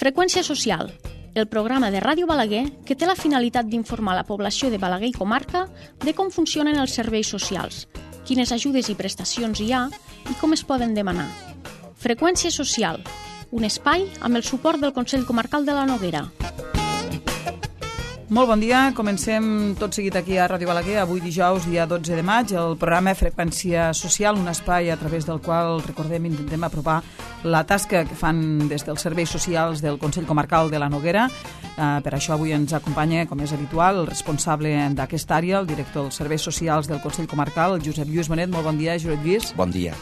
Freqüència social, el programa de Ràdio Balaguer que té la finalitat d'informar la població de Balaguer i comarca de com funcionen els serveis socials, quines ajudes i prestacions hi ha i com es poden demanar. Freqüència social, un espai amb el suport del Consell Comarcal de la Noguera. Molt bon dia, comencem tot seguit aquí a Ràdio Balaguer, avui dijous, dia 12 de maig, el programa Freqüència Social, un espai a través del qual, recordem, intentem apropar la tasca que fan des dels serveis socials del Consell Comarcal de la Noguera. Per això avui ens acompanya, com és habitual, el responsable d'aquesta àrea, el director dels serveis socials del Consell Comarcal, Josep Lluís Bonet. Molt bon dia, Josep Lluís. Bon dia.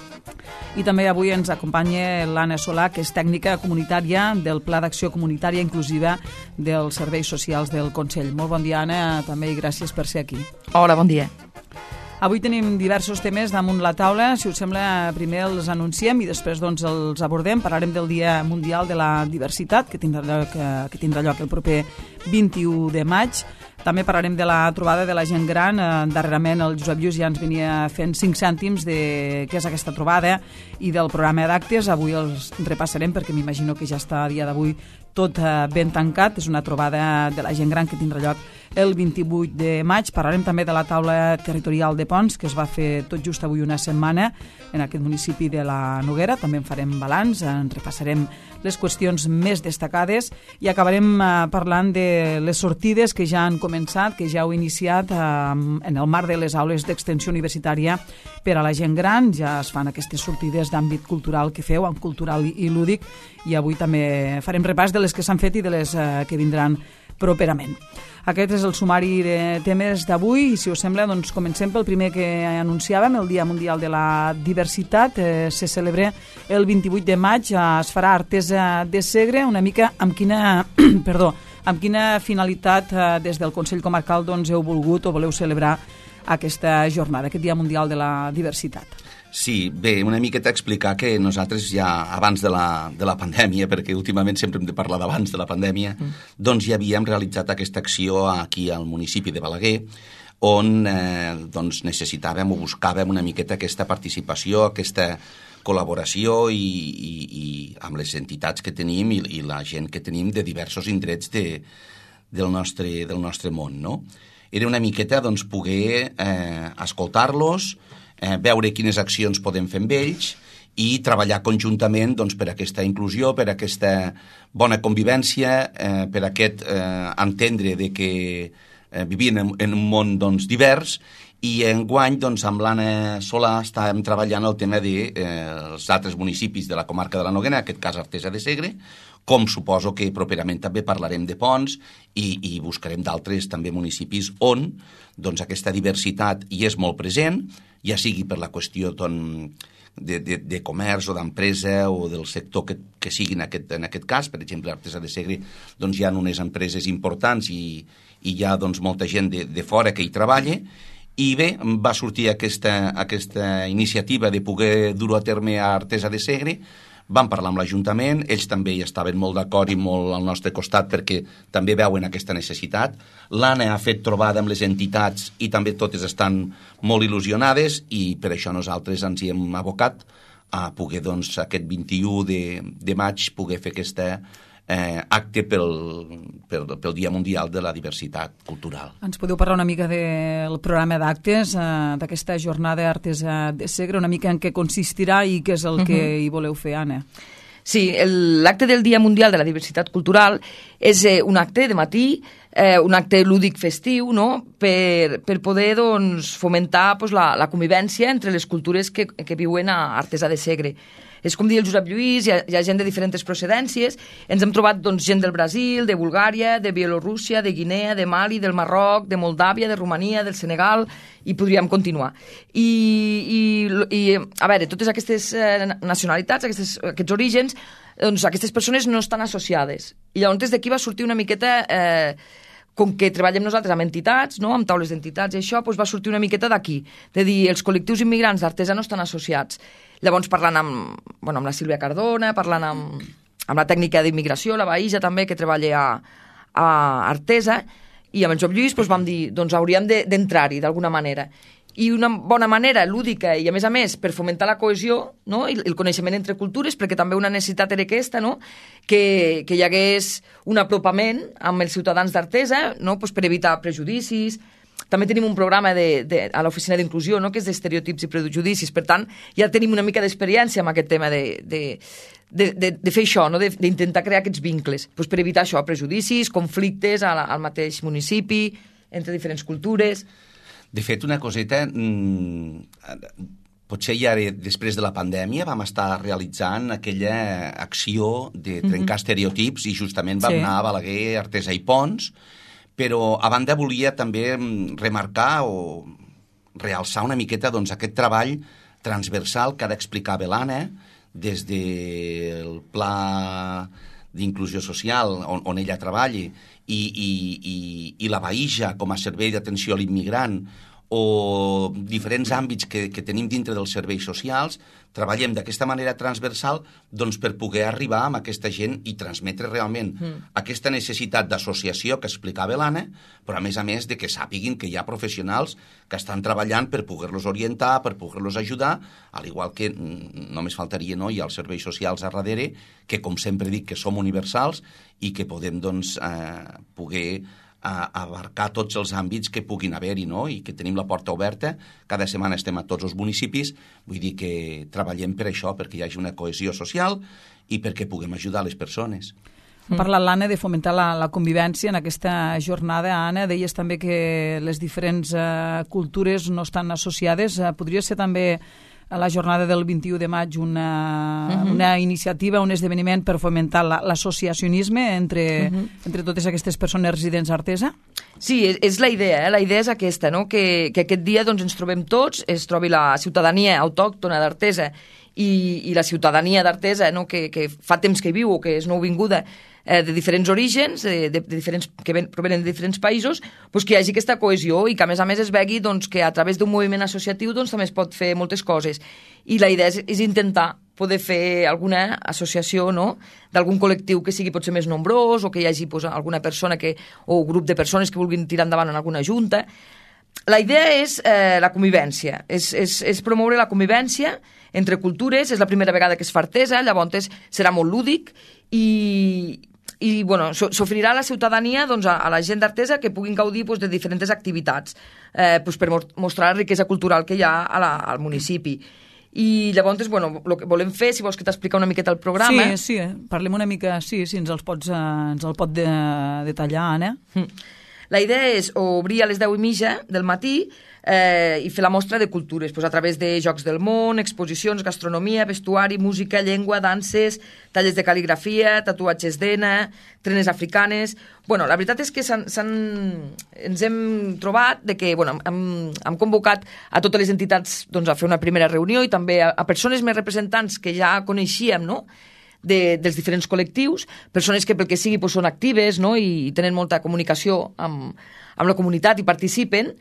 I també avui ens acompanya l'Anna Solà, que és tècnica comunitària del Pla d'Acció Comunitària Inclusiva dels Serveis Socials del Consell. Molt bon dia, Anna, també, i gràcies per ser aquí. Hola, bon dia. Avui tenim diversos temes damunt la taula. Si us sembla, primer els anunciem i després els abordem. Parlarem del Dia Mundial de la Diversitat, que tindrà lloc el proper 21 de maig. També parlarem de la trobada de la gent gran. Darrerament el Josep Lluís ja ens venia fent 5 cèntims de què és aquesta trobada i del programa d'actes. Avui els repassarem perquè m'imagino que ja està a dia d'avui tot ben tancat. És una trobada de la gent gran que tindrà lloc el 28 de maig. Parlarem també de la taula territorial de Ponts, que es va fer tot just avui una setmana en aquest municipi de la Noguera. També en farem balanç, en repassarem les qüestions més destacades i acabarem parlant de les sortides que ja han començat, que ja heu iniciat en el marc de les aules d'extensió universitària per a la gent gran. Ja es fan aquestes sortides d'àmbit cultural que feu, amb cultural i lúdic, i avui també farem repàs de les que s'han fet i de les que vindran properament. Aquest és el sumari de temes d'avui i, si us sembla, doncs comencem pel primer que anunciàvem, el Dia Mundial de la Diversitat. Se celebra el 28 de maig, es farà Artesa de Segre. Una mica amb quina, amb quina finalitat des del Consell Comarcal heu volgut o voleu celebrar aquesta jornada, aquest Dia Mundial de la Diversitat? Sí, bé, una miqueta explicar que nosaltres ja abans de la pandèmia, perquè últimament sempre hem de parlar d'abans de la pandèmia, doncs ja havíem realitzat aquesta acció aquí al municipi de Balaguer, on doncs necessitàvem o buscàvem una miqueta aquesta participació, aquesta col·laboració i amb les entitats que tenim i la gent que tenim de diversos indrets del nostre món, no? Era una miqueta doncs poder escoltar-los, veure quines accions podem fer amb ells i treballar conjuntament doncs, per aquesta inclusió, per aquesta bona convivència, per aquest entendre de que vivim en un món doncs, divers. I enguany doncs, amb l'Anna Solà estàvem treballant el tema dels altres municipis de la comarca de la Noguera, en aquest cas Artesa de Segre, com suposo que properament també parlarem de Ponts i buscarem d'altres també municipis on doncs, aquesta diversitat hi és molt present, ja sigui per la qüestió de comerç o d'empresa o del sector que sigui en aquest cas. Per exemple, Artesa de Segre doncs, hi ha unes empreses importants i hi ha doncs, molta gent de fora que hi treballa. I bé, va sortir aquesta iniciativa de poder dur a terme a Artesa de Segre. Vam parlar amb l'Ajuntament, ells també hi estaven molt d'acord i molt al nostre costat perquè també veuen aquesta necessitat. L'Anna ha fet trobada amb les entitats i també totes estan molt il·lusionades i per això nosaltres ens hi hem abocat a poder, doncs, aquest 21 de maig poder fer aquesta acte pel Dia Mundial de la Diversitat Cultural. Ens podeu parlar una mica del programa d'actes d'aquesta jornada Artesa de Segre, una mica en què consistirà i què és el que hi voleu fer, Anna? Sí, l'acte del Dia Mundial de la Diversitat Cultural és un acte de matí, un acte lúdic festiu, no? per poder doncs, fomentar doncs, la convivència entre les cultures que viuen a Artesa de Segre. És com dir el Josep Lluís, hi ha gent de diferents procedències. Ens hem trobat doncs, gent del Brasil, de Bulgària, de Bielorússia, de Guinea, de Mali, del Marroc, de Moldàvia, de Romania, del Senegal, i podríem continuar. I a veure, totes aquestes nacionalitats, aquests orígens, doncs aquestes persones no estan associades. I llavors des d'aquí va sortir una miqueta... com que treballem nosaltres amb entitats, no? Amb taules d'entitats i això, doncs va sortir una miqueta d'aquí, de dir els col·lectius immigrants d'Artesa no estan associats. Llavors parlant amb la Sílvia Cardona, parlant amb la tècnica d'immigració, la Baïja també, que treballa a Artesa, i amb el Josep Lluís doncs vam dir, doncs hauríem d'entrar-hi d'alguna manera. i una bona manera lúdica i, a més, per fomentar la cohesió, no? I el coneixement entre cultures, perquè també una necessitat era aquesta, no? Que hi hagués un apropament amb els ciutadans d'Artesa, no? Pues per evitar prejudicis. També tenim un programa a l'oficina d'inclusió, no? Que és d'estereotips i prejudicis. Per tant, ja tenim una mica d'experiència amb aquest tema de fer això, no? D'intentar crear aquests vincles, pues per evitar això, prejudicis, conflictes al mateix municipi, entre diferents cultures. De fet, una coseta, potser ja després de la pandèmia vam estar realitzant aquella acció de trencar estereotips i justament vam anar a Balaguer, Artesa i Pons, però a banda volia també remarcar o realçar una miqueta doncs, aquest treball transversal que ha d'explicar l'Anna des del pla d'inclusió social on ella treballi i la Baïja com a servei d'atenció a l'immigrant o diferents àmbits que tenim dintre dels serveis socials, treballem d'aquesta manera transversal doncs, per poder arribar amb aquesta gent i transmetre realment aquesta necessitat d'associació que explicava l'Anna, però a més de que sàpiguin que hi ha professionals que estan treballant per poder-los orientar, per poder-los ajudar, al igual que només faltaria, no? Hi ha els serveis socials a darrere, que com sempre dic que som universals i que podem doncs, poder abarcar tots els àmbits que puguin haver-hi, no? I que tenim la porta oberta, cada setmana estem a tots els municipis, vull dir que treballem per això, perquè hi hagi una cohesió social i perquè puguem ajudar les persones. Ha parlat l'Anna de fomentar la convivència en aquesta jornada. Anna, deies també que les diferents cultures no estan associades. Podria ser també a la jornada del 21 de maig una iniciativa, un esdeveniment per fomentar l'associacionisme entre totes aquestes persones residents a Artesa? Sí, és la idea. La idea és aquesta, no? Que aquest dia doncs, ens trobem tots, es trobi la ciutadania autòctona d'Artesa i la ciutadania d'Artesa, no? que fa temps que viu o que és nouvinguda, de diferents orígens, que provenen de diferents països, doncs que hi hagi aquesta cohesió i que a més es vegi doncs, que a través d'un moviment associatiu doncs, també es pot fer moltes coses. I la idea és intentar poder fer alguna associació, no? D'algun col·lectiu que sigui potser més nombrós o que hi hagi doncs, alguna persona o grup de persones que vulguin tirar endavant en alguna junta. La idea és la convivència, és promoure la convivència entre cultures. És la primera vegada que es fa Artesa, llavors serà molt lúdic i bueno, s'oferirà a la ciutadania doncs, a la gent d'Artesa que puguin gaudir doncs, de diferents activitats doncs, per mostrar la riquesa cultural que hi ha al municipi. I llavors, bueno, el que volem fer, si vols que t'explica una miqueta el programa... Sí, parlem una mica, sí, ens el pot detallar, Anna. La idea és obrir a les 10:30 del matí i fer la mostra de cultures, doncs, a través de jocs del món, exposicions, gastronomia, vestuari, música, llengua, danses, tallers de cal·ligrafia, tatuatges d'henna, trenes africanes... Bueno, la veritat és que ens hem trobat de que bueno, hem convocat a totes les entitats doncs, a fer una primera reunió i també a persones més representants que ja coneixíem, no?, dels diferents col·lectius, persones que pel que sigui doncs, són actives, no?, i tenen molta comunicació amb la comunitat i participen,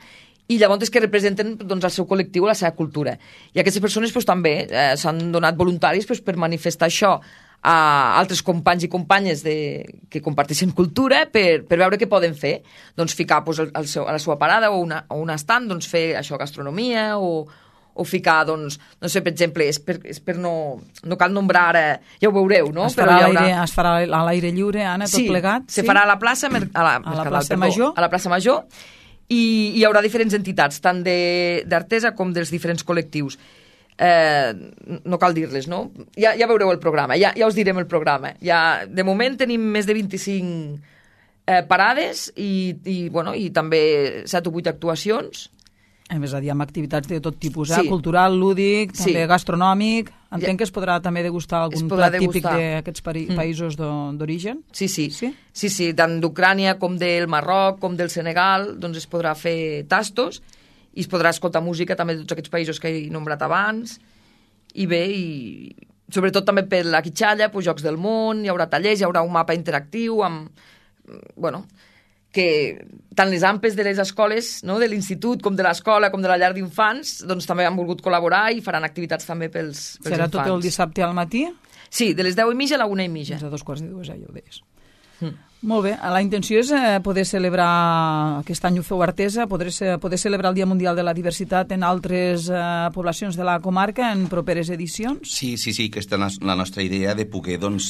i llavors que representen doncs, el seu col·lectiu, la seva cultura. I aquestes persones doncs, també s'han donat voluntaris doncs, per manifestar això a altres companys i companyes que comparteixen cultura per veure què poden fer. Doncs ficar doncs, a la seva parada o un estand, doncs, fer això, gastronomia o ficar, doncs, no sé, per exemple, és per no cal nombrar ara, ja ho veureu, no? Es farà a l'aire lliure, Anna, tot plegat? Sí, se farà a la plaça Major. A la plaça Major, i hi haurà diferents entitats, tant d'Artesa com dels diferents col·lectius. No cal dir-les, no? Ja veureu el programa, ja us direm el programa. De moment tenim més de 25 parades i també 7 o 8 actuacions. A més a dir, amb activitats de tot tipus, cultural, lúdic, també gastronòmic. Entenc que es podrà també degustar algun plat típic d'aquests països d'origen? Sí, tant d'Ucrània com del Marroc, com del Senegal, doncs es podrà fer tastos i es podrà escoltar música també de tots aquests països que he nombrat abans. I bé, sobretot també per la Quitxalla, doncs, jocs del món, hi haurà tallers, hi haurà un mapa interactiu amb... que tant les AMPes de les escoles, no, de l'institut, com de l'escola, com de la llar d'infants, doncs també han volgut col·laborar i faran activitats també pels infants. Serà tot el dissabte al matí? Sí, de les 10:30 a la 1:30. Fins a 2:45, ja ho deies. Molt bé, la intenció és poder celebrar, aquest any ho feu Artesa, poder celebrar el Dia Mundial de la Diversitat en altres poblacions de la comarca en properes edicions? Sí, aquesta és la nostra idea de poder, doncs,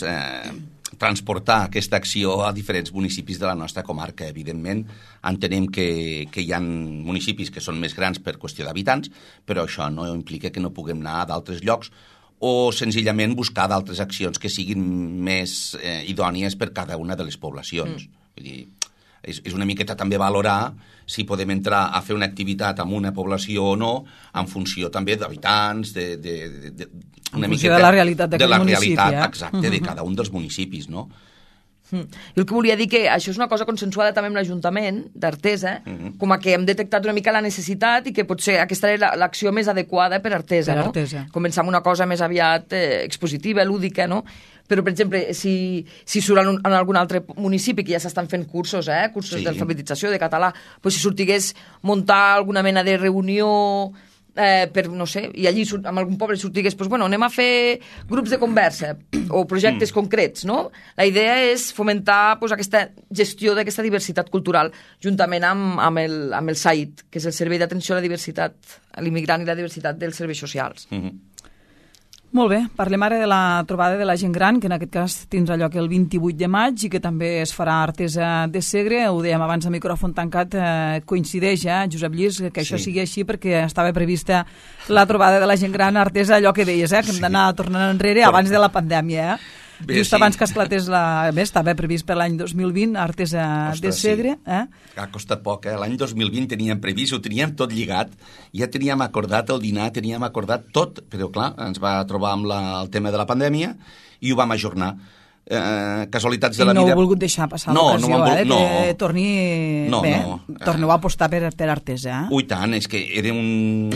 transportar aquesta acció a diferents municipis de la nostra comarca. Evidentment, entenem que hi ha municipis que són més grans per qüestió d'habitants, però això no implica que no puguem anar a d'altres llocs o senzillament buscar d'altres accions que siguin més idònies per cada una de les poblacions. Vull dir, és una miqueta també valorar si podem entrar a fer una activitat en una població o no, en funció també d'habitants, en funció de la realitat d'aquell municipi. Exacte, de cada un dels municipis, no? Jo el que volia dir que això és una cosa consensuada també amb l'Ajuntament d'Artesa, com a que hem detectat una mica la necessitat i que potser aquesta era l'acció més adequada per Artesa, no? Començar amb una cosa més aviat expositiva, lúdica, no? Però, per exemple, si surt en algun altre municipi que ja s'estan fent cursos, cursos d'alfabetització, de català, doncs si sortigués muntar alguna mena de reunió per, no sé, i allí en algun poble sortigués, doncs, bueno, anem a fer grups de conversa o projectes concrets, no? La idea és fomentar doncs, aquesta gestió d'aquesta diversitat cultural juntament amb el SAID, que és el Servei d'Atenció a la Diversitat, a l'Immigrant i la Diversitat dels Serveis Socials. Molt bé, parlem ara de la trobada de la gent gran, que en aquest cas tindrà lloc el 28 de maig i que també es farà a Artesa de Segre. Ho dèiem abans a micròfon tancat, coincideix, Josep Lluís, que això sigui així perquè estava prevista la trobada de la gent gran a Artesa, allò que deies, que hem d'anar tornant enrere abans de la pandèmia, just abans que esclatés estava previst per l'any 2020 a Artesa de Segre. Ha costat poc, L'any 2020 teníem previst, ho teníem tot lligat, ja teníem acordat el dinar, teníem acordat tot, però clar, ens va trobar amb el tema de la pandèmia i ho vam ajornar. Casualitats de la vida. I no heu volgut deixar passar l'ocasió, que torneu a apostar per Artesa. Ui, tant, és que era un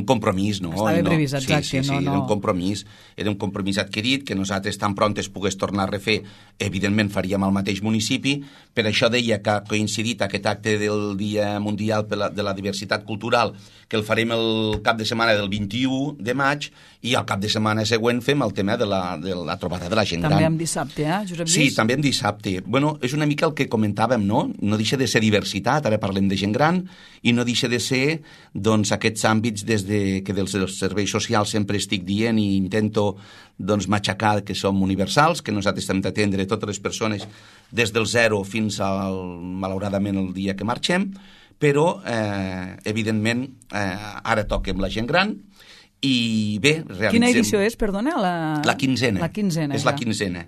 compromís, no? Estava previst, exacte. Sí, era un compromís adquirit, que nosaltres tan pront es pogués tornar a refer, evidentment faríem al mateix municipi, per això deia que ha coincidit aquest acte del Dia Mundial de la Diversitat Cultural, que el farem el cap de setmana del 21 de maig, i al cap de setmana següent fem el tema de la trobada de la gent gran. També en dissabte, Josep Lluís? Sí, també en dissabte. Bueno, és una mica el que comentàvem, no? No deixa de ser diversitat, ara parlem de gent gran, i no deixa de ser, doncs, aquests àmbits que dels serveis socials sempre estic dient i intento, doncs, matxacar que som universals, que nosaltres hem d'atendre totes les persones des del 0 fins malauradament, el dia que marxem, però, evidentment, ara toquem la gent gran. I bé, realitzem... Quina edició és, perdona? La quinzena. La quinzena, és la quinzena.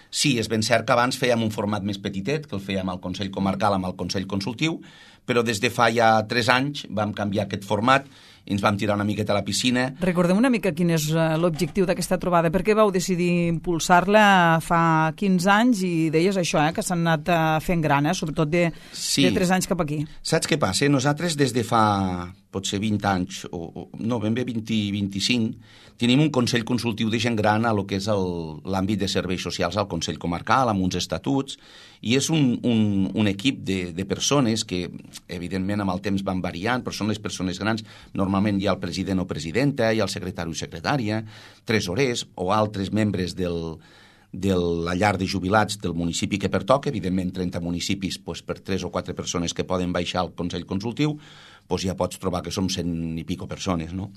Sí, és ben cert que abans fèiem un format més petitet, que el fèiem al Consell Comarcal amb el Consell Consultiu, però des de fa ja 3 anys vam canviar aquest format i ens vam tirar una miqueta a la piscina. Recordem una mica quin és l'objectiu d'aquesta trobada. Per què vau decidir impulsar-la fa 15 anys i deies això, que s'han anat fent gran, sobretot de 3 anys cap aquí? Saps què passa? Nosaltres des de fa potser 20 anys, no, ben bé 20-25, tenim un Consell Consultiu de gent gran a lo que és l'àmbit de serveis socials al Consell Comarcal, amb uns estatuts, i és un equip de persones que, evidentment, amb el temps van variant, però són les persones grans. Normalment hi ha el president o presidenta, hi ha el secretari o secretària, tresorers o altres membres de la llar de jubilats del municipi que pertoca, evidentment 30 municipis, per 3 o 4 persones que poden baixar al Consell Consultiu, ja pots trobar que som 100 i pico persones, no?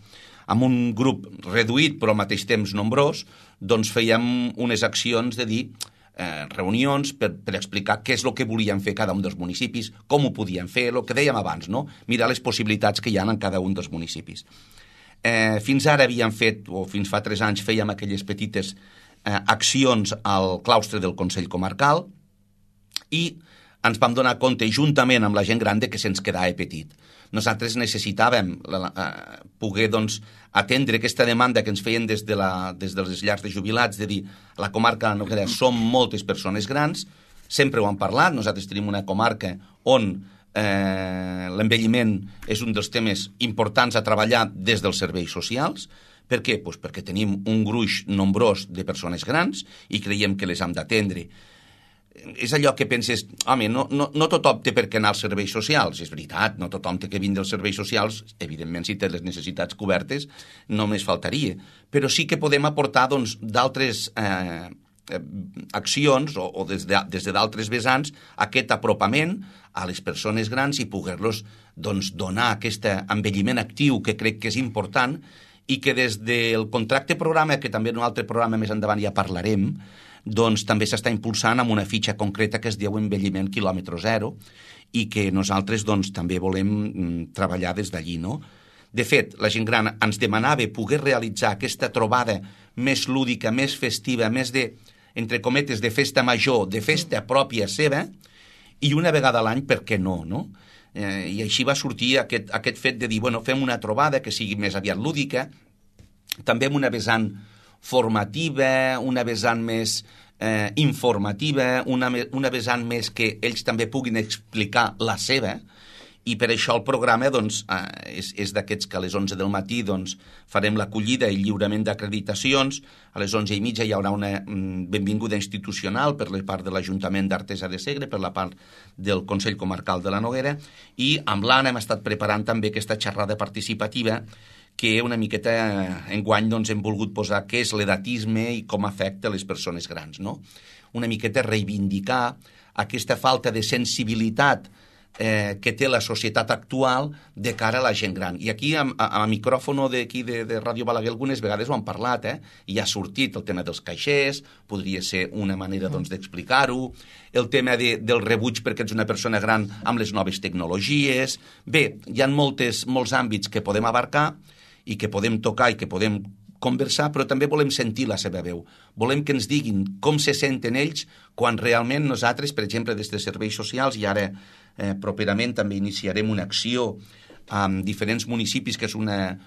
Amb un grup reduït però al mateix temps nombrós, doncs fèiem unes accions de dir reunions per explicar què és el que volien fer cada un dels municipis, com ho podien fer, el que dèiem abans, no? Mirar les possibilitats que hi ha en cada un dels municipis. Fins ara havíem fet, o fins fa 3 anys fèiem aquelles petites accions al claustre del Consell Comarcal i ens vam donar compte juntament amb la gent gran que se'ns quedava petit. Nosaltres necessitàvem poder atendre aquesta demanda que ens feien des de les llars de jubilats, de dir, a la comarca som moltes persones grans, sempre ho hem parlat, nosaltres tenim una comarca on l'envelliment és un dels temes importants a treballar des dels serveis socials. Per què? Perquè tenim un gruix nombrós de persones grans i creiem que les hem d'atendre. És allò que penses, home, no tothom té per què anar als serveis socials, és veritat, no tothom té que vindre als serveis socials, evidentment si té les necessitats cobertes només faltaria, però sí que podem aportar d'altres accions o des de d'altres vessants aquest apropament a les persones grans i poder-los donar aquest envelliment actiu que crec que és important i que des del contracte programa, que també en un altre programa més endavant ja parlarem, doncs també s'està impulsant amb una fitxa concreta que es diu envelliment quilòmetre zero i que nosaltres doncs també volem treballar des d'allí, no? De fet, la gent gran ens demanava poder realitzar aquesta trobada més lúdica, més festiva, més de, entre cometes, de festa major, de festa pròpia seva, i una vegada a l'any, per què no, no? I així va sortir aquest fet de dir, bueno, fem una trobada que sigui més aviat lúdica, també amb una vessant formativa, una vessant més informativa, una vessant més que ells també puguin explicar la seva, i per això el programa doncs, és d'aquests que a les 11 del matí doncs, farem l'acollida i lliurament d'acreditacions, a les 11:30 hi haurà una benvinguda institucional per la part de l'Ajuntament d'Artesa de Segre, per la part del Consell Comarcal de la Noguera, i amb l'Anna hem estat preparant també aquesta xerrada participativa que una miqueta enguany doncs, hem volgut posar què és l'edatisme i com afecta les persones grans, no? Una miqueta reivindicar aquesta falta de sensibilitat que té la societat actual de cara a la gent gran. I aquí, a micròfono d'aquí de Ràdio Balaguer, algunes vegades ho han parlat, i ha sortit el tema dels caixers, podria ser una manera doncs, d'explicar-ho, el tema del rebuig perquè ets una persona gran amb les noves tecnologies. Bé, hi ha molts àmbits que podem abarcar i que podem tocar i que podem conversar, però també volem sentir la seva veu. Volem que ens diguin com se senten ells quan realment nosaltres, per exemple, des de serveis socials, i ara properament també iniciarem una acció amb diferents municipis que és una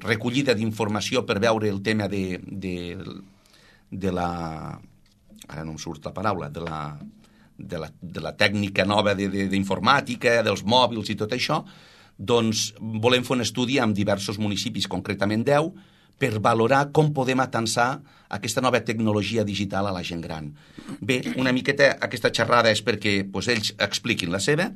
recollida d'informació per veure el tema de la... ara no em surt la paraula, de la tècnica nova d'informàtica, dels mòbils i tot això, doncs volem fer un estudi amb diversos municipis, concretament 10, per valorar com podem atansar aquesta nova tecnologia digital a la gent gran. Bé, una miqueta aquesta xerrada és perquè ells expliquin la seva.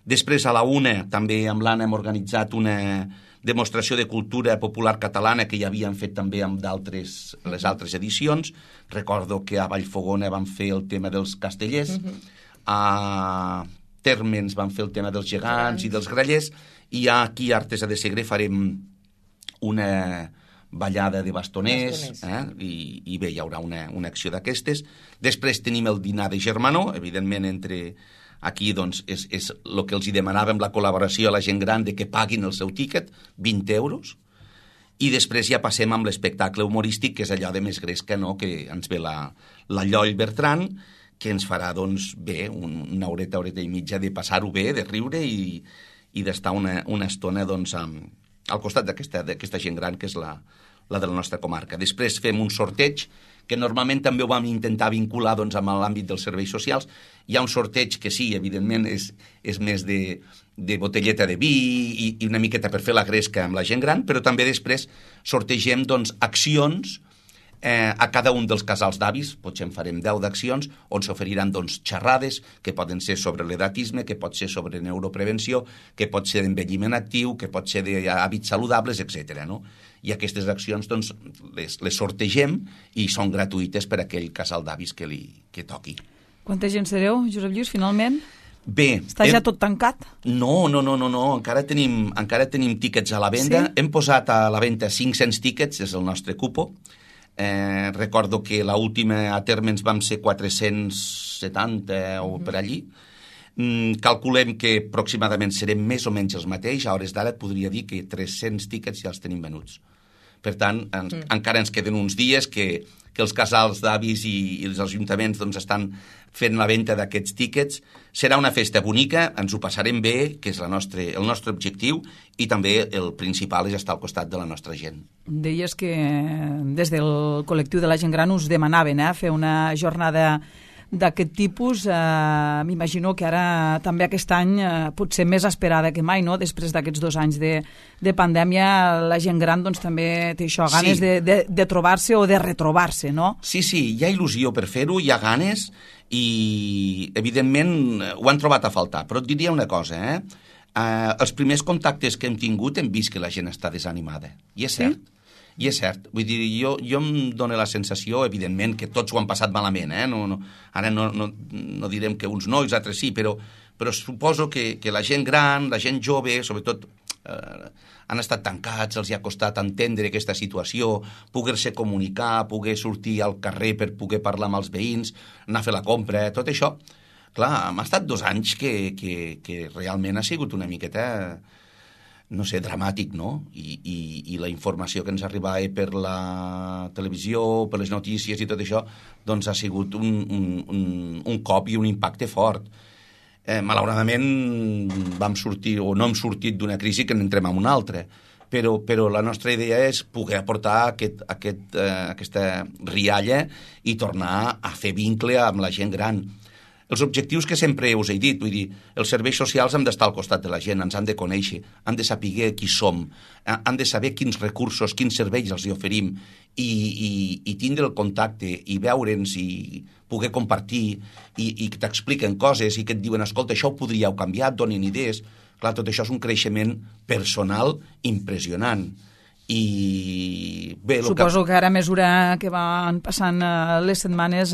Després, a la 1, també amb l'Anna hem organitzat una demostració de cultura popular catalana que ja havíem fet també amb les altres edicions. Recordo que a Vallfogona vam fer el tema dels castellers, a Térmens vam fer el tema dels gegants i dels grallers, i aquí a Artesa de Segre farem una ballada de bastoners. I bé, hi haurà una acció d'aquestes. Després tenim el dinar de germanor, evidentment aquí doncs, és el que els demanàvem, la col·laboració a la gent gran de que paguin el seu tíquet, 20 euros, i després ja passem amb l'espectacle humorístic, que és allò de més gresca, no?, que ens ve la Lloll Bertran, que ens farà doncs, bé, una horeta i mitja de passar-ho bé, de riure i d'estar una estona doncs, al costat d'aquesta gent gran, que és la de la nostra comarca. Després fem un sorteig, que normalment també ho vam intentar vincular doncs, amb l'àmbit dels serveis socials. Hi ha un sorteig que sí, evidentment, és més de botelleta de vi i una miqueta per fer la gresca amb la gent gran, però també després sortegem doncs, accions a cada un dels casals d'avis, potser en farem 10 d'accions, on s'oferiran doncs, xerrades que poden ser sobre l'edatisme, que pot ser sobre neuroprevenció, que pot ser d'envelliment actiu, que pot ser d'hàbits saludables, etc. No? I aquestes accions doncs, les sortegem i són gratuïtes per a aquell casal d'avis que toqui. Quanta gent sereu, Josep Lluís, finalment? Bé, està ja tot tancat? No, encara tenim tíquets a la venda. Sí? Hem posat a la venda 500 tíquets, és el nostre cupo. Recordo que l'última a Térmens vam ser 470 o per allí. Calculem que aproximadament serem més o menys els mateixos. A hores d'ara et podria dir que 300 tíquets ja els tenim venuts. Per tant, encara ens queden uns dies que els casals d'avis i els ajuntaments doncs, estan fent la venda d'aquests tíquets. Serà una festa bonica, ens ho passarem bé, que és el nostre objectiu, i també el principal és estar al costat de la nostra gent. Deies que des del col·lectiu de la gent gran us demanaven fer una jornada d'aquest tipus. M'imagino que ara també aquest any potser més esperada que mai, no? Després d'aquests 2 anys de pandèmia, la gent gran doncs, també té això, ganes de trobar-se o de retrobar-se, no? Sí, hi ha il·lusió per fer-ho, hi ha ganes i evidentment ho han trobat a faltar, però et diria una cosa, els primers contactes que hem tingut hem vist que la gent està desanimada, i és cert. I és cert, vull dir, jo em dono la sensació, evidentment, que tots ho han passat malament, ara no direm que uns no i els altres sí, però suposo que la gent gran, la gent jove, sobretot han estat tancats, els hi ha costat entendre aquesta situació, poder-se comunicar, poder sortir al carrer per poder parlar amb els veïns, anar a fer la compra, tot això. Clar, m'ha estat 2 anys que realment ha sigut una miqueta, no sé, dramàtic, no? I la informació que ens arribava per la televisió, per les notícies i tot això, doncs ha sigut un cop i un impacte fort. Malauradament vam sortir, o no hem sortit d'una crisi que n'entrem en una altra, però la nostra idea és poder aportar aquesta rialla i tornar a fer vincle amb la gent gran. Els objectius que sempre us he dit, vull dir, els serveis socials han d'estar al costat de la gent, ens han de conèixer, han de saber qui som, han de saber quins recursos, quins serveis els hi oferim i tindre el contacte i veure'ns i poder compartir i que t'expliquen coses i que et diuen, escolta, això ho podríeu canviar, et donin idees. Clar, tot això és un creixement personal impressionant. I bé, suposo que ara a mesura que van passant les setmanes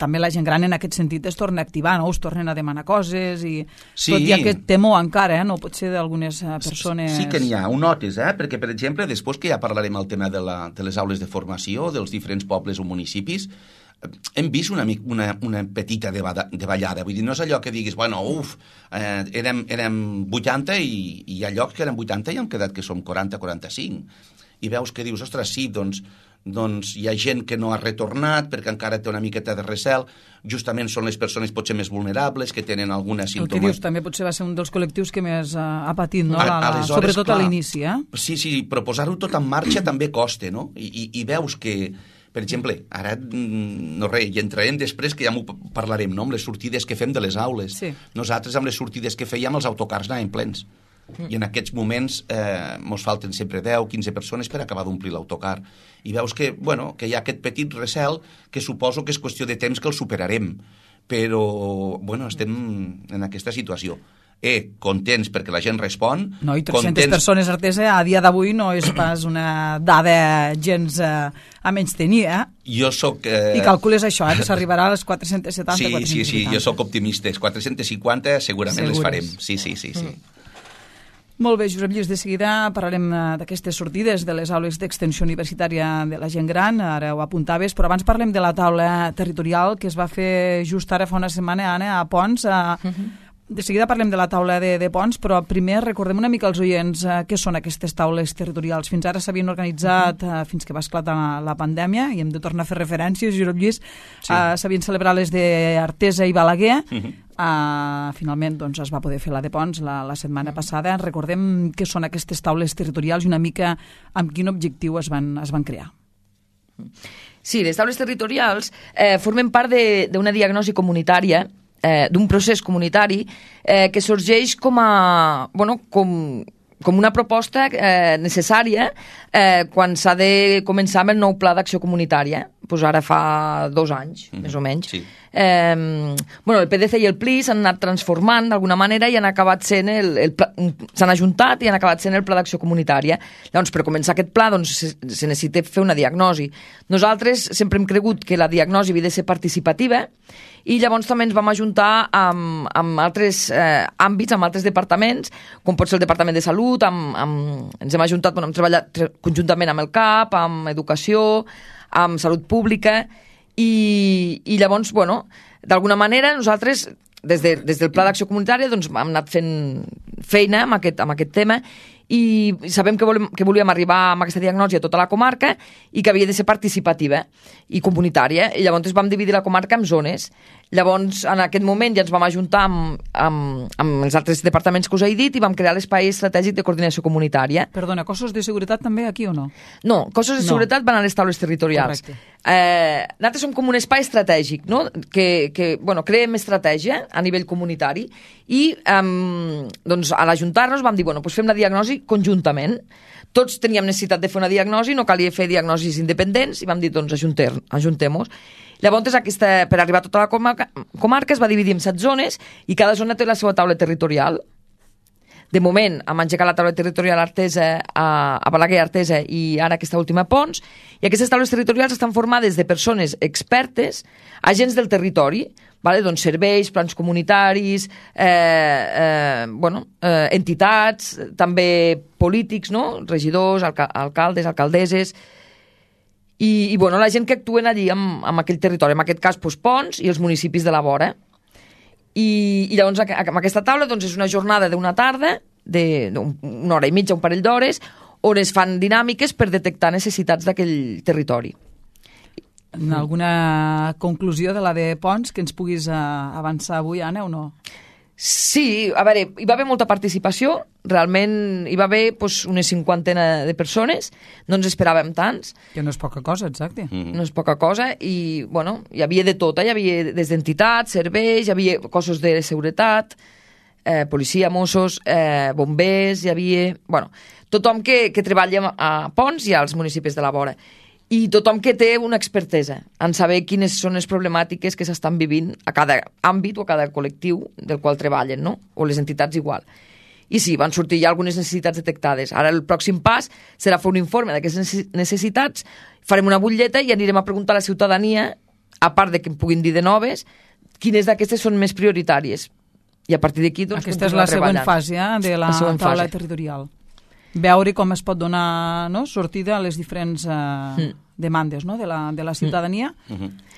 també la gent gran en aquest sentit es torna a activar, no? Us tornen a demanar coses i sí. Tot i aquest temor encara, no pot ser d'algunes persones... Sí que n'hi ha, ho notes, perquè per exemple després que ja parlarem el tema de les aules de formació dels diferents pobles o municipis, hem vist una petita davallada, vull dir, no és allò que diguis, bueno, érem 80 i hi ha llocs que eren 80 i hem quedat que som 40-45, i veus que dius, ostres, sí, doncs hi ha gent que no ha retornat perquè encara té una miqueta de recel, justament són les persones potser més vulnerables, que tenen alguna símptoma. El que dius també potser va ser un dels col·lectius que més ha patit, no? Sobretot clar, a l'inici, Sí, però posar-ho tot en marxa també costa, no? I veus que per exemple, ara no res, hi entrarem després que ja m'ho parlarem, no? Amb les sortides que fem de les aules. Sí. Nosaltres amb les sortides que fèiem els autocars anaven plens. I en aquests moments mos falten sempre 10-15 persones per acabar d'omplir l'autocar. I veus que, que hi ha aquest petit recel que suposo que és qüestió de temps que el superarem. Però, estem en aquesta situació. Contents perquè la gent respon. No, i 300 persones, Artesa, a dia d'avui no és pas una dada gens a menys tenir, Jo soc... I calcules això, que s'arribarà a les 470, sí, 450. Sí, jo soc optimista. 450 segurament les farem. Sí. Molt bé, Josep Lluís, de seguida parlarem d'aquestes sortides de les aules d'extensió universitària de la gent gran, ara ho apuntaves, però abans parlem de la taula territorial que es va fer just ara fa una setmana, Anna, a Ponts. De seguida parlem de la taula de Ponts, però primer recordem una mica als oients què són aquestes taules territorials. Fins ara s'havien organitzat, fins que va esclatar la pandèmia, i hem de tornar a fer referències, Josep Lluís, s'havien celebrat les d'Artesa i Balaguer. Finalment es va poder fer la de Ponts la setmana passada. Recordem què són aquestes taules territorials i una mica amb quin objectiu es van crear. Sí, les taules territorials formen part d'una diagnosi comunitària, d'un procés comunitari que sorgeix com una proposta necessària quan s'ha de començar amb el nou pla d'acció comunitària. Ara fa 2 anys, més o menys. Sí. El PDC i el PLI s'han anat transformant d'alguna manera i han acabat sent s'han ajuntat i han acabat sent el pla d'acció comunitària. Llavors, per començar aquest pla se necessita fer una diagnosi. Nosaltres sempre hem cregut que la diagnosi havia de ser participativa i llavors també ens vam ajuntar amb altres àmbits, amb altres departaments, com pot ser el Departament de Salut, ens hem ajuntat, hem treballat conjuntament amb el CAP, amb Educació, amb Salut Pública, i llavors, d'alguna manera nosaltres des del Pla d'Acció Comunitària hem anat fent feina amb aquest tema i sabem que volíem arribar amb aquesta diagnosi a tota la comarca i que havia de ser participativa i comunitària, i llavors vam dividir la comarca en zones. Llavors, en aquest moment ja ens vam ajuntar amb els altres departaments que us he dit i vam crear l'Espai Estratègic de Coordinació Comunitària. Perdona, cossos de seguretat també aquí o no? No, cossos de seguretat van a les taules territorials. Correcte. Nosaltres som com un espai estratègic, no? que creem estratègia a nivell comunitari i a l'ajuntar-nos vam dir, fem la diagnosi conjuntament. Tots teníem necessitat de fer una diagnosi, no calia fer diagnosis independents i vam dir, ajuntem-nos. Llavors, per arribar a tota la comarca es va dividir en 7 zones i cada zona té la seva taula territorial. De moment, hem engegat la taula territorial Artesa a Balaguer, Artesa i ara aquesta última a Pons, i aquestes taules territorials estan formades de persones expertes, agents del territori, doncs serveis, plans comunitaris, entitats, també polítics, no? Regidors, alcaldes, alcaldesses, i la gent que actuen allí en aquell territori, en aquest cas Pons i els municipis de la vora. I llavors amb aquesta taula és una jornada d'una tarda, d'una hora i mitja, un parell d'hores, on es fan dinàmiques per detectar necessitats d'aquell territori. Alguna conclusió de la de Pons que ens puguis avançar avui, Anna, o no? Sí, a veure, hi va haver molta participació, realment hi va haver unes 50 de persones, no ens esperàvem tants. Que no és poca cosa, exacte. No és poca cosa, i hi havia de tot, hi havia des d'entitats, serveis, hi havia cossos de seguretat, policia, Mossos, bombers, hi havia... tothom que treballa a Pons i als municipis de la vora. I tothom que té una expertesa en saber quines són les problemàtiques que s'estan vivint a cada àmbit o a cada col·lectiu del qual treballen, no? O les entitats igual. I sí, van sortir ja algunes necessitats detectades. Ara el pròxim pas serà fer un informe d'aquestes necessitats, farem una butlleta i anirem a preguntar a la ciutadania, a part de que em puguin dir de noves, quines d'aquestes són més prioritàries. I a partir d'aquí aquesta és la següent fase de la taula territorial. Veure com es pot donar sortida a les diferents demandes de la ciutadania,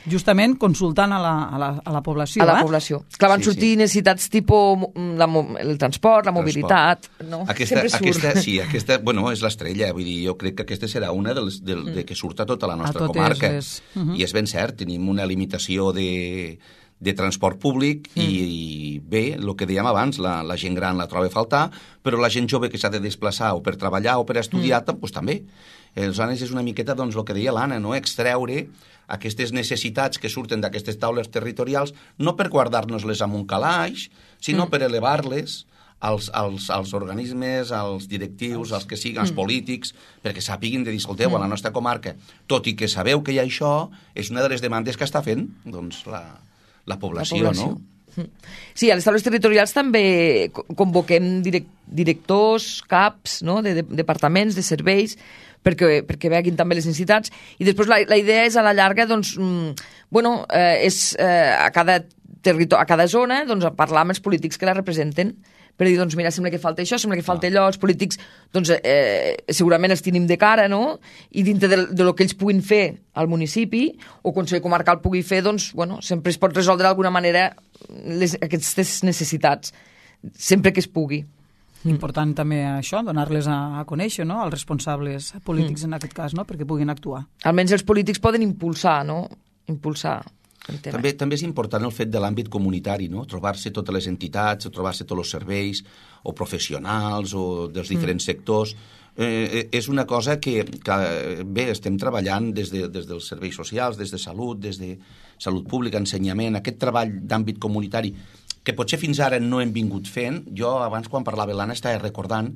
justament consultant a la població. A la població. Clar, van sortir necessitats tipus el transport, la mobilitat... Sempre surt. Aquesta és l'estrella. Vull dir, jo crec que aquesta serà una de que surt a tota la nostra comarca. I és ben cert, tenim una limitació de transport públic i bé, el que dèiem abans, la gent gran la troba a faltar, però la gent jove que s'ha de desplaçar o per treballar o per estudiar, doncs també. Aleshores és una miqueta, el que deia l'Anna, extreure aquestes necessitats que surten d'aquestes taules territorials, no per guardar-nos-les en un calaix, sinó per elevar-les als organismes, als directius, als que siguin, als polítics, perquè sàpiguin de dir, escolteu, a la nostra comarca, tot i que sabeu que hi ha això, és una de les demandes que està fent la població, no? Sí, a les taules territorials també convoquem directors, caps, de departaments, de serveis, perquè veguin també les necessitats, i després la idea és a la llarga, és a cada zona parlar amb els polítics que la representen, per dir, mira, sembla que falta això, sembla que falta allò, els polítics, segurament els tenim de cara, no? I dintre de lo que ells puguin fer al municipi, o el Consell Comarcal pugui fer, sempre es pot resoldre d'alguna manera aquestes necessitats, sempre que es pugui. Important també això, donar-les a conèixer, no?, als responsables polítics en aquest cas, no?, perquè puguin actuar. Almenys els polítics poden impulsar, no?, També és important el fet de l'àmbit comunitari, no? Trobar-se totes les entitats, trobar-se tots els serveis, o professionals, o dels diferents sectors. És una cosa que bé, estem treballant des dels serveis socials, des de salut, des de salut pública, ensenyament, aquest treball d'àmbit comunitari, que potser fins ara no hem vingut fent. Jo, abans, quan parlava l'Anna, estava recordant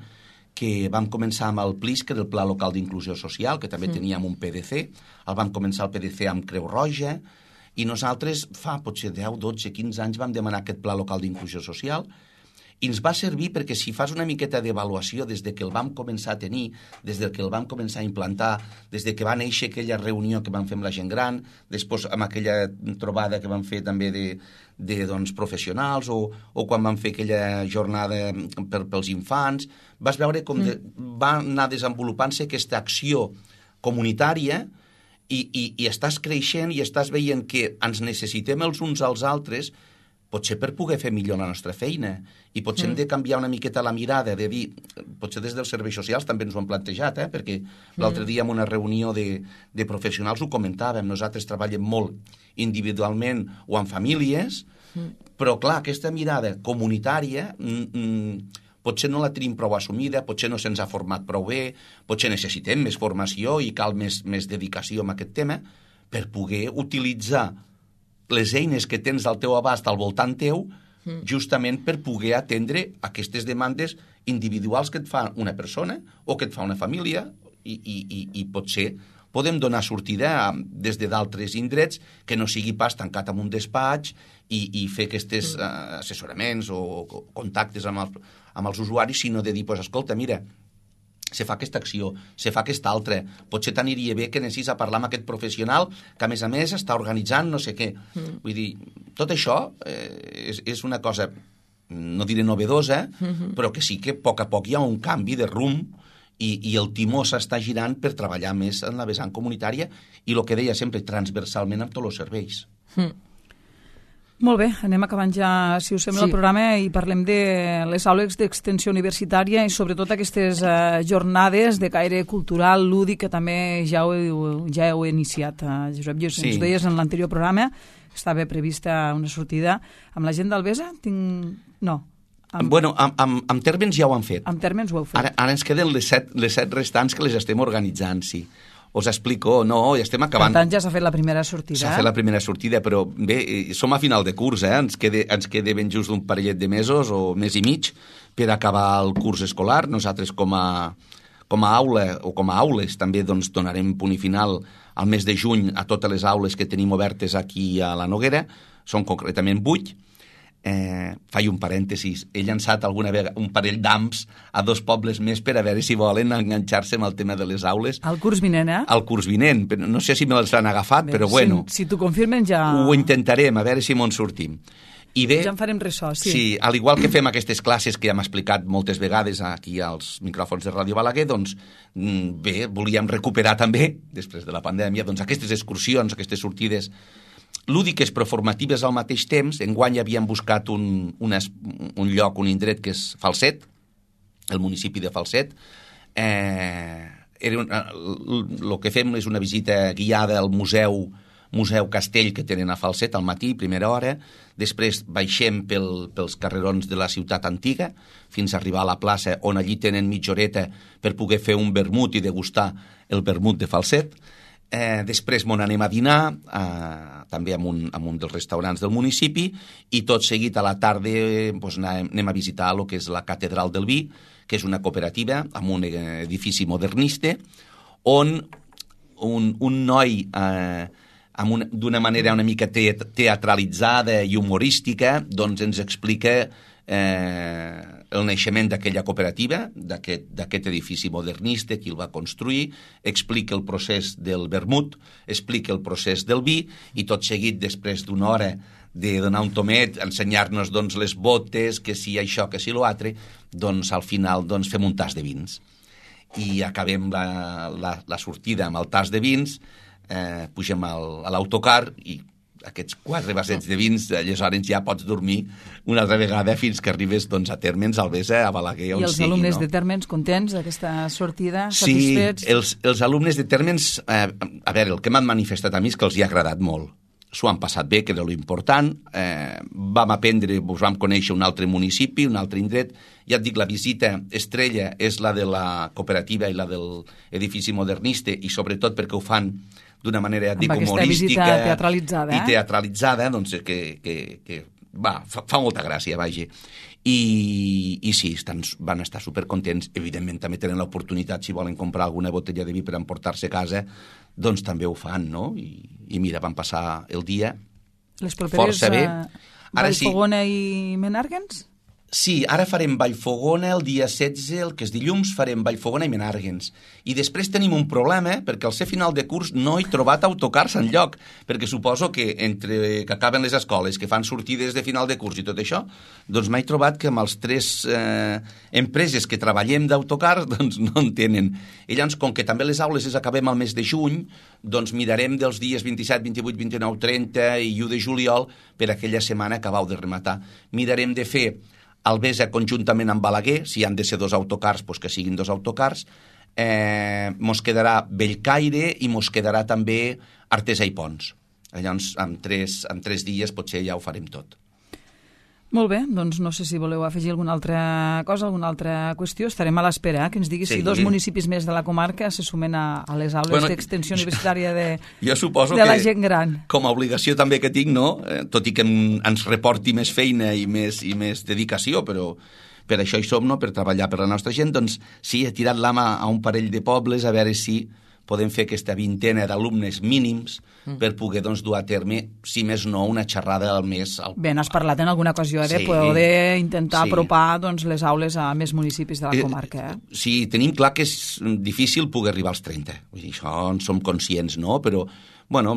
que vam començar amb el PLIS, que era el Pla Local d'Inclusió Social, que també teníem un PDC, el vam començar el PDC amb Creu Roja, i nosaltres fa potser 10, 12, 15 anys vam demanar aquest Pla Local d'Inclusió Social, i ens va servir perquè si fas una miqueta d'avaluació des de que el vam començar a tenir, des de que el vam començar a implantar, des de que va néixer aquella reunió que vam fer amb la gent gran, després amb aquella trobada que vam fer també de professionals, o quan vam fer aquella jornada pels infants, vas veure com va anar desenvolupant-se aquesta acció comunitària i estàs creixent i estàs veient que ens necessitem els uns als altres, potser per poder fer millor la nostra feina, i potser hem de canviar una miqueta la mirada, de dir, potser des dels serveis socials també ens ho hem plantejat, perquè l'altre dia en una reunió de professionals ho comentàvem, nosaltres treballem molt individualment o en famílies, però clar, aquesta mirada comunitària potser no la tenim prou assumida, potser no se'ns ha format prou bé, potser necessitem més formació i cal més dedicació en aquest tema per poder utilitzar les eines que tens al teu abast al voltant teu justament per poder atendre aquestes demandes individuals que et fa una persona o que et fa una família i potser podem donar sortida des de d'altres indrets que no sigui pas tancat en un despatx i fer aquests assessoraments o contactes amb els usuaris, sinó de dir, pues, escolta, mira, se fa aquesta acció, se fa aquesta altra, potser t'aniria bé que anessis a parlar amb aquest professional que a més està organitzant no sé què. Vull dir, tot això és una cosa, no diré novedosa, però que sí que a poc hi ha un canvi de rumb i el timó s'està girant per treballar més en la vessant comunitària i el que deia sempre, transversalment amb tots els serveis. Molt bé, anem acabant ja, si us sembla, el programa i parlem de les aules d'extensió universitària i sobretot aquestes jornades de caire cultural, lúdic, que també ja heu iniciat, Josep. Ens ho deies en l'anterior programa, estava prevista una sortida amb la gent d'Albesa? No. Bueno, amb Térmens ja ho han fet. Amb Térmens ho heu fet. Ara ens queden les set restants que les estem organitzant, sí. Us explico, no, ja estem acabant. Per tant, ja s'ha fet la primera sortida. S'ha fet la primera sortida, però bé, som a final de curs, ens queda ben just un parellet de mesos o mes i mig per acabar el curs escolar. Nosaltres com a aula o com a aules també doncs, donarem punt i final al mes de juny a totes les aules que tenim obertes aquí a la Noguera, són concretament 8. Faig un parèntesis, he llançat alguna vegada un parell d'amps a 2 pobles més per a veure si volen enganxar-se amb el tema de les aules. Al curs vinent, Al curs vinent, no sé si me'ls han agafat, però bueno. Si t'ho confirmen ja... Ho intentarem, a veure si me'n sortim. I bé, ja en farem ressò, sí. Sí, al igual que fem aquestes classes que hem explicat moltes vegades aquí als micròfons de Ràdio Balaguer, doncs bé, volíem recuperar també, després de la pandèmia, doncs aquestes excursions, aquestes sortides lúdiques però formatives al mateix temps. Enguany havíem buscat un lloc, un indret que és Falset, el municipi de Falset. El que fem és una visita guiada al museu Castell que tenen a Falset al matí, primera hora. Després baixem pels carrerons de la ciutat antiga fins a arribar a la plaça, on allí tenen mitja horeta per poder fer un vermut i degustar el vermut de Falset. Després m'on anem a dinar, també en un dels restaurants del municipi, i tot seguit a la tarda doncs, anem a visitar el que és la Catedral del Vi, que és una cooperativa amb un edifici modernista, on un noi d'una manera una mica teatralitzada i humorística doncs ens explica el naixement d'aquella cooperativa, d'aquest edifici modernista, qui el va construir, explica el procés del vermut, explica el procés del vi, i tot seguit, després d'una hora de donar un tomet, ensenyar-nos doncs, les botes, que si això, que si l'altre, doncs al final doncs, fem un tas de vins. I acabem la sortida amb el tas de vins, pugem a l'autocar i aquests 4 vassets de vins, aleshores ja pots dormir una altra vegada fins que arribes doncs, a Térmens, a Albesa, a Balaguer, on sigui. I els alumnes de Térmens contents d'aquesta sortida, satisfets? Sí, els alumnes de Térmens, a veure, el que m'han manifestat a mi és que els hi ha agradat molt. S'ho han passat bé, que era l'important. Vam aprendre, vam conèixer un altre municipi, un altre indret. Ja et dic, la visita estrella és la de la cooperativa i la de l'edifici modernista, i sobretot perquè ho fan d'una manera, dic, humorística teatralitzada, i teatralitzada, doncs que fa molta gràcia, vaja. I sí, van estar supercontents. Evidentment també tenen l'oportunitat, si volen comprar alguna botella de vi per emportar-se a casa, doncs també ho fan, no? I mira, van passar el dia força bé. Vallfogona i Menàrguens? Sí, ara farem Vallfogona el dia 16, el que és dilluns, farem Vallfogona i Menàrguens. I després tenim un problema, perquè al ser final de curs no he trobat autocars enlloc, perquè suposo que entre que acaben les escoles, que fan sortides de final de curs i tot això, doncs m'he trobat que amb els 3 empreses que treballem d'autocars, doncs no en tenen. I llavors, com que també les aules les acabem al mes de juny, doncs mirarem dels dies 27, 28, 29, 30 i 1 de juliol per aquella setmana que acabau de rematar. Mirarem de fer Albesa conjuntament amb Balaguer, si han de ser 2 autocars, doncs que siguin 2 autocars. Mos quedarà Bellcaire i mos quedarà també Artesa i Pons. Llavors, en 3 dies potser ja ho farem tot. Molt bé, doncs no sé si voleu afegir alguna altra cosa, alguna altra qüestió. Estarem a l'espera, que ens diguis si 2 municipis més de la comarca se sumen a les aules d'extensió universitària de la gent gran. Com a obligació també que tinc, no? Tot i que ens reporti més feina i més dedicació, però per això hi som, no? Per treballar per la nostra gent, doncs sí, he tirat l'ama a un parell de pobles a veure si podem fer aquesta vintena d'alumnes mínims per poder dur a terme, si més no, una xerrada al mes. Bé, n'has parlat en alguna ocasió de poder intentar apropar les aules a més municipis de la comarca. Sí, tenim clar que és difícil poder arribar als 30. Vull dir, això en som conscients, no? Però bueno,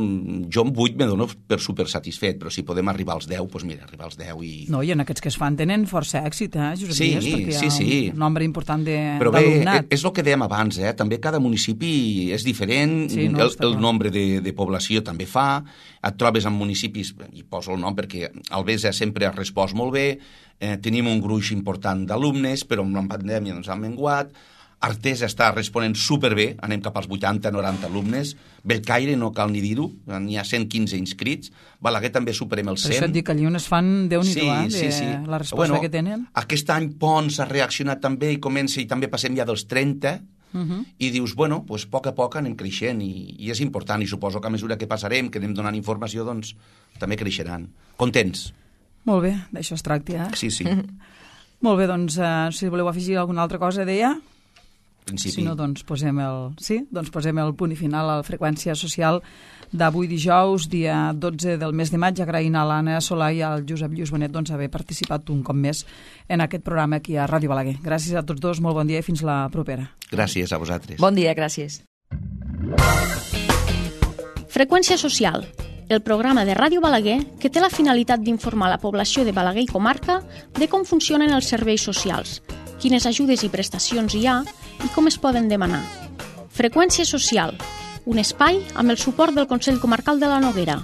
jo amb 8 me dono per supersatisfet, però si podem arribar als 10, doncs mira, arribar als 10 i... No, i en aquests que es fan tenen força èxit, Josep Díaz, perquè hi ha un nombre important d'alumnat. Però bé, és el que dèiem abans, també cada municipi és diferent, el nombre de població també fa, et trobes en municipis, i poso el nom perquè Albesa sempre ha respost molt bé, tenim un gruix important d'alumnes, però amb la pandèmia han menguat, Artesa està responent superbé, anem cap als 80-90 alumnes, Bellcaire no cal ni dir-ho, n'hi ha 115 inscrits, Balaguer també superem els 100. Per això et dic que allí on es fan Déu-n'hi-do, la resposta que tenen. Aquest any Pons ha reaccionat també i comença, i també passem ja dels 30, i dius, bueno, doncs a poc anem creixent, i és important, i suposo que a mesura que passarem, que anem donant informació, doncs també creixeran. Contents. Molt bé, d'això es tracta, Sí. Molt bé, doncs, si voleu afegir alguna altra cosa, deia... Principi. Si no, doncs posem el punt i final a la freqüència social d'avui dijous, dia 12 del mes de maig, agraint a l'Anna Solà i al Josep Lluís Bonet haver participat un cop més en aquest programa aquí a Ràdio Balaguer. Gràcies a tots dos, molt bon dia i fins la propera. Gràcies a vosaltres. Bon dia, gràcies. Freqüència social, el programa de Ràdio Balaguer que té la finalitat d'informar la població de Balaguer i comarca de com funcionen els serveis socials, quines ajudes i prestacions hi ha i com es poden demanar. Freqüència social, un espai amb el suport del Consell Comarcal de la Noguera.